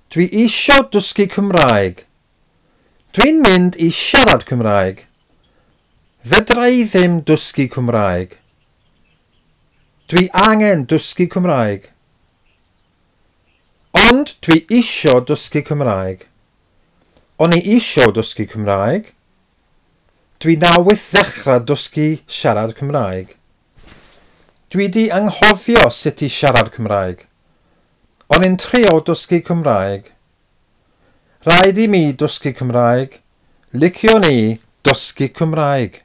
Dwi isio dysgu Cymraeg. Dwi'n mynd i siarad Cymraeg. Fedra i ddim dysgu Cymraeg. Dwi angen dysgu Cymraeg. Ond dwi isio dysgu Cymraeg. O'n i isio dysgu Cymraeg. Dwi newydd ddechrau dysgu siarad Cymraeg. Dwi 'di anghofio sut i siarad Cymraeg. O'n i'n trio dysgu Cymraeg. Rhaid i mi dysgu Cymraeg. Liciwn i dysgu Cymraeg.